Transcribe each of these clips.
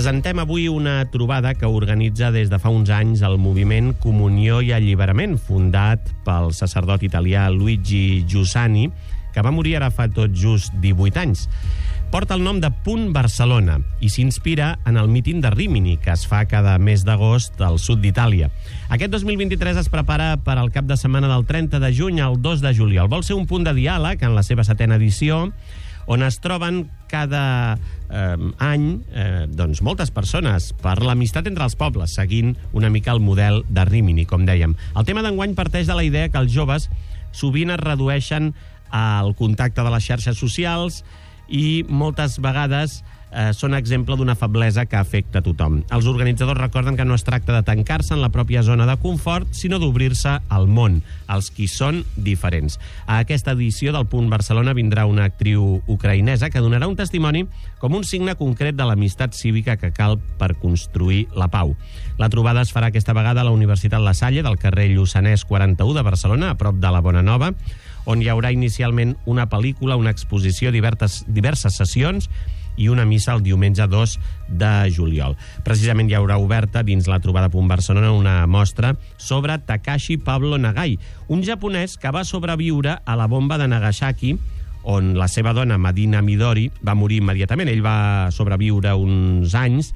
Presentem avui una trobada que organitza des de fa uns anys el moviment Comunió i Alliberament, fundat pel sacerdot italià Luigi Giussani, que va morir ara fa tot just 18 anys. Porta el nom de Punt Barcelona i s'inspira en el míting de Rímini, que es fa cada mes d'agost al sud d'Itàlia. Aquest 2023 es prepara per al cap de setmana del 30 de juny al 2 de juliol. Vol ser un punt de diàleg en la seva 7ª edició, on es troben cada any moltes persones per l'amistat entre els pobles, seguint una mica el model de Rímini, com dèiem. El tema d'enguany parteix de la idea que els joves sovint es redueixen al contacte de les xarxes socials i moltes vegades són exemple d'una feblesa que afecta a tothom. Els organitzadors recorden que no es tracta de tancar-se en la pròpia zona de confort, sinó d'obrir-se al món, als qui són diferents. A aquesta edició del Punt Barcelona vindrà una actriu ucraïnesa que donarà un testimoni com un signe concret de l'amistat cívica que cal per construir la pau. La trobada es farà aquesta vegada a la Universitat La Salle, del carrer Lluçanès 41 de Barcelona, a prop de la Bonanova, on hi haurà inicialment una pel·lícula, una exposició, diverses sessions i una missa el diumenge 2 de juliol. Precisament hi haurà oberta dins la trobada Punt Barcelona una mostra sobre Takashi Pablo Nagai, un japonès que va sobreviure a la bomba de Nagasaki, on la seva dona, Madina Midori, va morir immediatament. Ell va sobreviure uns anys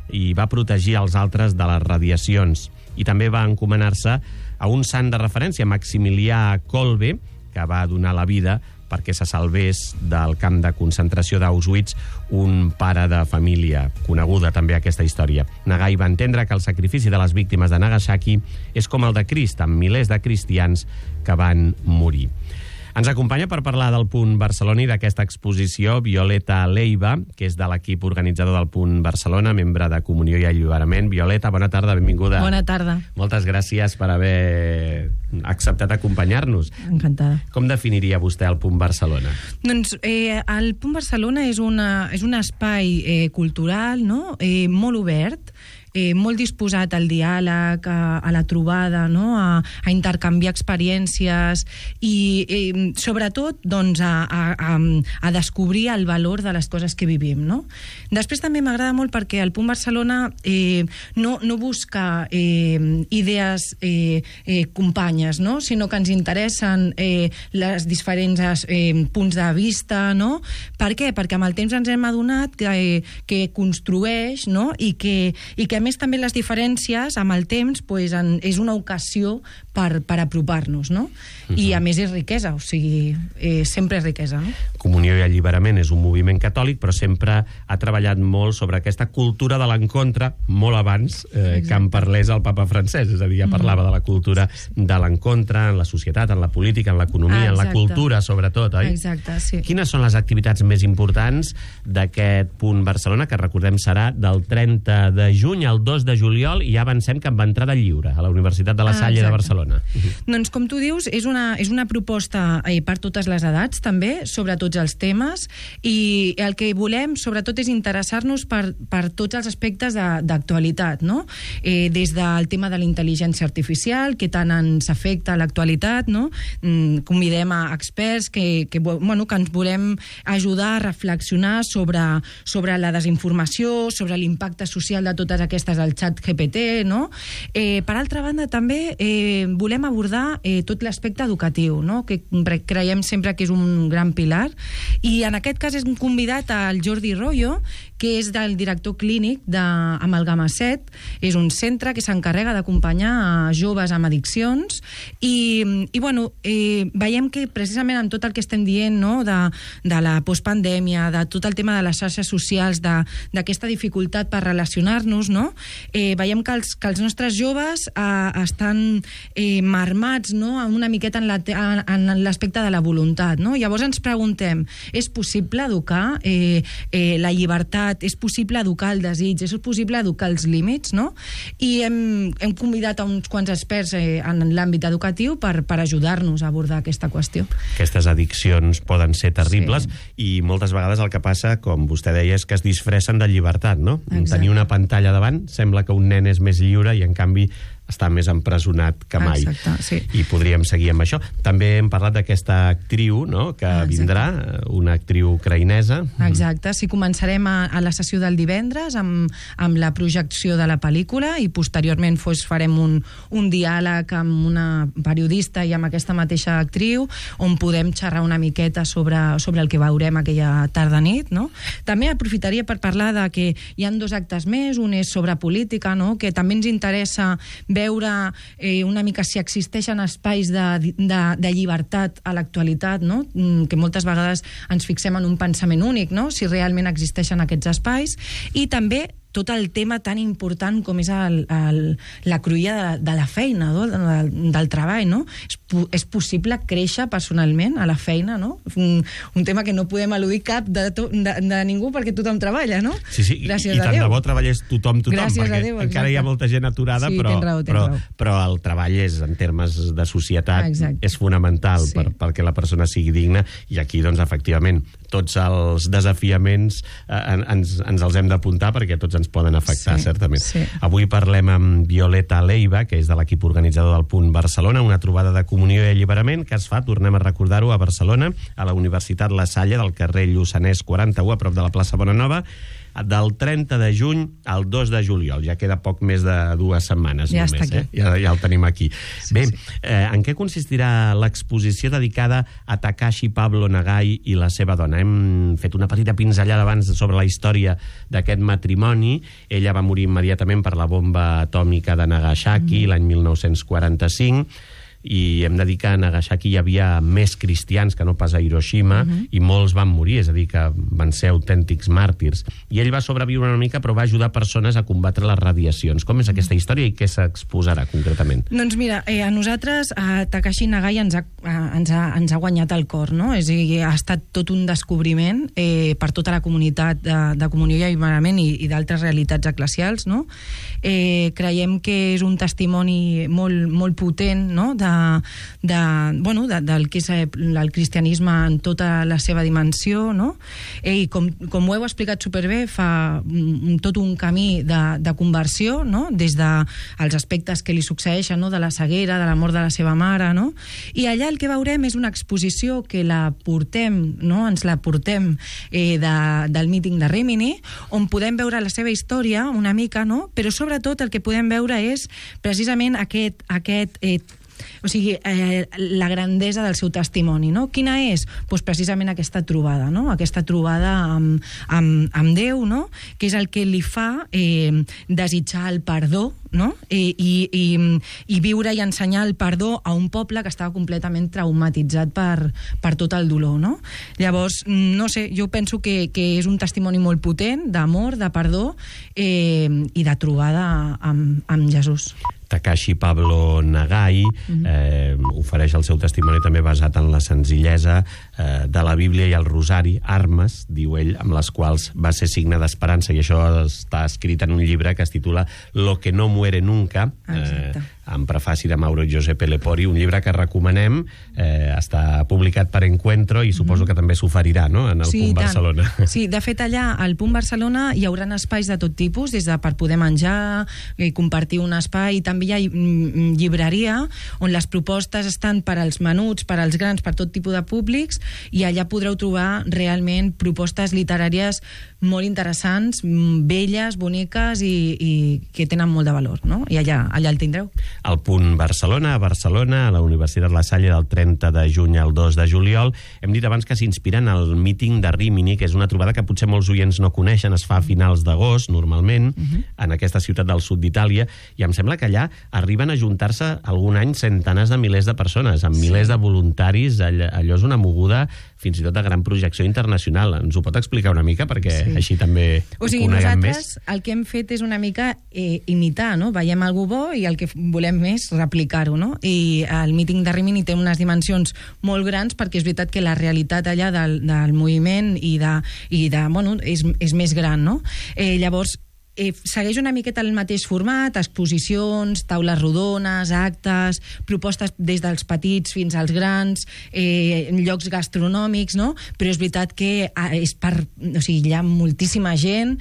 i va protegir els altres de les radiacions. I també va encomanar-se a un sant de referència, Maximilià Kolbe, que va donar la vida perquè se salvés del camp de concentració d'Auschwitz un pare de família, coneguda també aquesta història. Nagai va entendre que el sacrifici de les víctimes de Nagasaki és com el de Crist, amb milers de cristians que van morir. Ens acompanya per parlar del Punt Barcelona i d'aquesta exposició Violeta Leiva, que és de l'equip organitzador del Punt Barcelona, membre de Comunió i Alliberament. Violeta, bona tarda, benvinguda. Bona tarda. Moltes gràcies per haver acceptat acompanyar-nos. Encantada. Com definiria vostè el Punt Barcelona? Doncs el Punt Barcelona és un espai cultural, no? Molt obert, molt disposat al diàleg, a la trobada, no? a intercanviar experiències i sobretot doncs, a descobrir el valor de les coses que vivim. No? Després també m'agrada molt perquè el Punt Barcelona no busca idees companyes, no? Sinó que ens interessen les diferents punts de vista. No? Per què? Perquè amb el temps ens hem adonat que construeix, no? I que a més també les diferències amb el temps pues, és una ocasió per apropar-nos, no? I a més és riquesa, o sigui, sempre és riquesa, no? Comunió i Alliberament és un moviment catòlic, però sempre ha treballat molt sobre aquesta cultura de l'encontre, molt abans que en parlés el papa francès, és a dir, ja parlava de la cultura de l'encontre en la societat, en la política, en l'economia, en la cultura, sobretot, oi? Exacte, sí. Quines són les activitats més importants d'aquest Punt Barcelona, que recordem serà del 30 de juny al 2 de juliol, i ja avancem cap a entrada lliure a la Universitat de La Salle de Barcelona? Doncs, com tu dius, és una proposta per totes les edats, també, sobre tots els temes, i el que volem, sobretot, és interessar-nos per tots els aspectes d'actualitat, no? Des del tema de la intel·ligència artificial, que tant ens afecta a l'actualitat, no? Convidem a experts que ens volem ajudar a reflexionar sobre la desinformació, sobre l'impacte social de totes aquestes al xat GPT, no? Per altra banda, també volem abordar tot l'aspecte educatiu, no? Que creiem sempre que és un gran pilar, i en aquest cas hem convidat al Jordi Royo, que és del director clínic d'Amalgama 7, és un centre que s'encarrega d'acompanyar a joves amb addiccions, i veiem que precisament amb tot el que estem dient, no? de la postpandèmia, de tot el tema de les xarxes socials, d'aquesta dificultat per relacionar-nos, no? Veiem que els nostres joves estan marmats, no? Una miqueta en l'aspecte de la voluntat, no? Llavors ens preguntem, és possible educar la llibertat, és possible educar el desig, és possible educar els límits, no? I hem convidat a uns quants experts en l'àmbit educatiu per ajudar-nos a abordar aquesta qüestió. Aquestes addiccions poden ser terribles, i moltes vegades el que passa, com vostè deia, és que es disfressen de llibertat, no? Exacte. Tenir una pantalla davant sembla que un nen és més lliure, i en canvi està més empresonat que mai. Exacte, sí. I podríem seguir amb això. També hem parlat d'aquesta actriu, no?, que vindrà, una actriu ucraïnesa. Exacte, sí, començarem a la sessió del divendres amb la projecció de la pel·lícula i posteriorment farem un diàleg amb una periodista i amb aquesta mateixa actriu on podem xerrar una miqueta sobre el que veurem aquella tarda-nit, no? També aprofitaria per parlar de que hi ha 2 actes més, un és sobre política, no?, que també ens interessa veure una mica si existeixen espais de llibertat a l'actualitat, no?, que moltes vegades ens fixem en un pensament únic, no?, si realment existeixen aquests espais, i també tot el tema tan important com és la cruïlla de la feina, no?, del treball, no? És possible créixer personalment a la feina, no? Un tema que no podem eludir cap de ningú perquè tothom treballa, no? Sí, gràcies i tant de bo treballés tothom, gràcies perquè Déu, encara hi ha molta gent aturada, sí, però el treball és, en termes de societat, és fonamental perquè la persona sigui digna, i aquí, doncs, efectivament, tots els desafiaments ens els hem d'apuntar perquè tots ens poden afectar, certament. Avui parlem amb Violeta Leiva, que és de l'equip organitzador del Punt Barcelona, una trobada de comunió i alliberament que es fa, tornem a recordar-ho, a Barcelona, a la Universitat La Salle, del carrer Lluçanès 41, a prop de la plaça Bonanova, del 30 de juny al 2 de juliol. Ja queda poc més de 2 setmanes. Ja només, està aquí. Ja el tenim aquí. Bé, en què consistirà l'exposició dedicada a Takashi Pablo Nagai i la seva dona? Hem fet una petita pinzellada abans sobre la història d'aquest matrimoni. Ella va morir immediatament per la bomba atòmica de Nagasaki l'any 1945, i hem de dir que a Nagasaki hi havia més cristians que no pas a Hiroshima, i molts van morir, és a dir, que van ser autèntics màrtirs. I ell va sobreviure una mica, però va ajudar persones a combatre les radiacions. Com és aquesta història i què s'exposarà concretament? Doncs mira, a nosaltres Takashi Nagai ens ha guanyat el cor, no? És a dir, ha estat tot un descobriment per tota la comunitat de comunió i alliberament i d'altres realitats eclesials, no? Creiem que és un testimoni molt potent, no?, del que és el cristianisme en tota la seva dimensió, no? I com ho heu explicat superbé, fa tot un camí de conversió, no?, des dels aspectes que li succeeixen, no?, de la ceguera, de la mort de la seva mare, no? I allà el que veurem és una exposició que la portem, no?, ens la portem del míting de Rimini, on podem veure la seva història una mica, no?, però sobretot el que podem veure és precisament o sigui, la grandesa del seu testimoni, no? Quina és? Doncs precisament aquesta trobada, no? Aquesta trobada amb Déu, no?, que és el que li fa desitjar el perdó, no?, i viure i ensenyar el perdó a un poble que estava completament traumatitzat per tot el dolor, no? Llavors, no sé, jo penso que és un testimoni molt potent d'amor, de perdó i de trobada amb Jesús. Takashi Pablo Nagai ofereix el seu testimoni també basat en la senzillesa de la Bíblia i el rosari, armes, diu ell, amb les quals va ser signe d'esperança, i això està escrit en un llibre que es titula Lo que no muere nunca, amb prefaci de Mauro Giuseppe Lepori, un llibre que recomanem, està publicat per Encuentro i suposo que també s'oferirà, no?, en el Punt Barcelona. Sí, de fet allà al Punt Barcelona hi haurà espais de tot tipus, des de per poder menjar, compartir un espai, també hi ha llibreria on les propostes estan per als menuts, per als grans, per tot tipus de públics, i allà podreu trobar realment propostes literàries molt interessants, belles, boniques i que tenen molt de valor, no? I allà el tindreu. El Punt Barcelona, a Barcelona, a la Universitat La Salle, del 30 de juny al 2 de juliol. Hem dit abans que s'inspira en el míting de Rimini, que és una trobada que potser molts oients no coneixen, es fa a finals d'agost, normalment, en aquesta ciutat del sud d'Itàlia, i em sembla que allà arriben a juntar-se algun any centenars de milers de persones, amb milers de voluntaris. Allò és una moguda fins i tot de gran projecció internacional. Ens ho pot explicar una mica? Perquè així també ho coneguem més. Nosaltres el que hem fet és una mica imitar, no? Veiem algú bo i el que volem més replicar-ho, no? I el míting de Rimini té unes dimensions molt grans perquè és veritat que la realitat allà del moviment i de bueno, és més gran, no? Llavors, segueix una miqueta el mateix format, exposicions, taules rodones, actes, propostes des dels petits fins als grans, llocs gastronòmics, no? Però és veritat que hi ha moltíssima gent,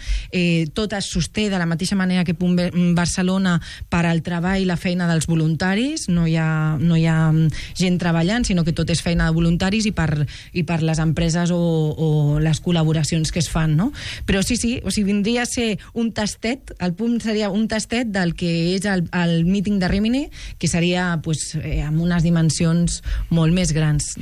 tot es sosté de la mateixa manera que Punt Barcelona per al treball i la feina dels voluntaris, no hi ha gent treballant, sinó que tot és feina de voluntaris i per les empreses o les col·laboracions que es fan, no? Però sí, vindria a ser un tastet, el punt seria un tastet del que és el míting de Rimini, que seria amb unes dimensions molt més grans.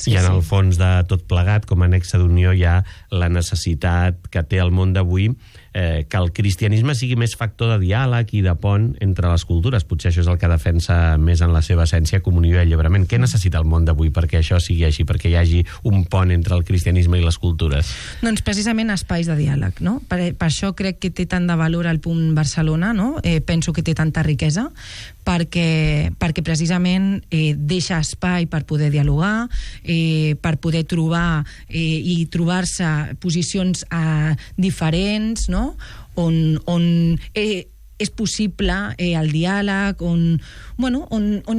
I en el fons de tot plegat, com a nexe d'unió, hi ha la necessitat que té el món d'avui que el cristianisme sigui més factor de diàleg i de pont entre les cultures. Potser això és el que defensa més en la seva essència comunió i alliberament. Què necessita el món d'avui perquè això sigui així, perquè hi hagi un pont entre el cristianisme i les cultures? Doncs precisament espais de diàleg, no? Per això crec que té tant de valor el Punt Barcelona, no? Penso que té tanta riquesa, perquè precisament deixa espai per poder dialogar, per poder trobar i trobar-se posicions diferents, no? On és possible el diàleg, on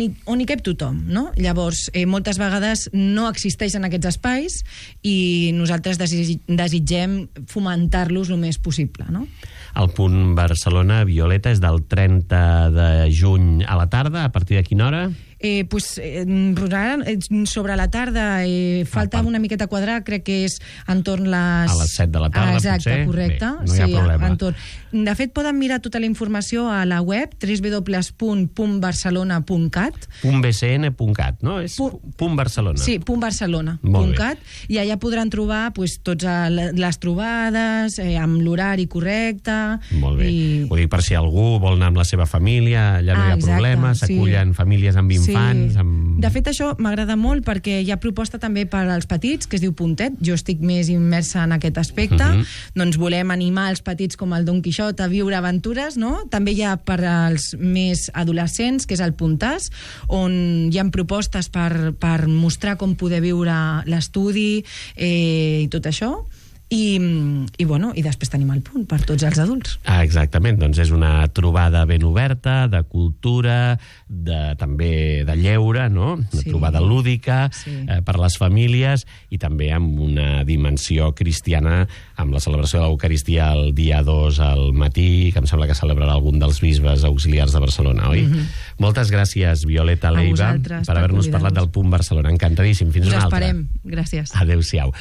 hi cap tothom, no? Llavors, moltes vegades no existeixen aquests espais i nosaltres desitgem fomentar-los el més possible, no? El Punt Barcelona, Violeta, és del 30 de juny a la tarda. A partir de quina hora? Sobre la tarda falta una miqueta quadrar, crec que és entorn a les 7 de la tarda, exacte, potser? Correcte. Bé, no hi ha problema. De fet, poden mirar tota la informació a la web www.puntbarcelona.cat .bcn.cat, no? És Punt Barcelona. Sí, puntbarcelona.cat, i allà podran trobar totes les trobades amb l'horari correcte. Molt bé. Ho dic per si algú vol anar amb la seva família, allà no hi ha problema, s'acullen famílies amb infants. De fet, això m'agrada molt perquè hi ha proposta també per als petits, que es diu Puntet. Jo estic més immersa en aquest aspecte. Doncs volem animar els petits com el Don Quixot a viure aventures, no? També hi ha per als més adolescents, que és el Puntàs, on hi ha propostes per mostrar com poder viure l'estudi i tot això. I després tenim el Punt per tots els adults. Exactament, doncs és una trobada ben oberta, de cultura, també de lleure, no? Una trobada lúdica per les famílies i també amb una dimensió cristiana, amb la celebració de l'Eucaristia el dia 2 al matí, que em sembla que celebrarà algun dels bisbes auxiliars de Barcelona, oi? Moltes gràcies, Violeta Leiva, per haver-nos parlat del Punt Barcelona. Encantadíssim. Fins una altra. Us esperem. Gràcies. Adéu-siau.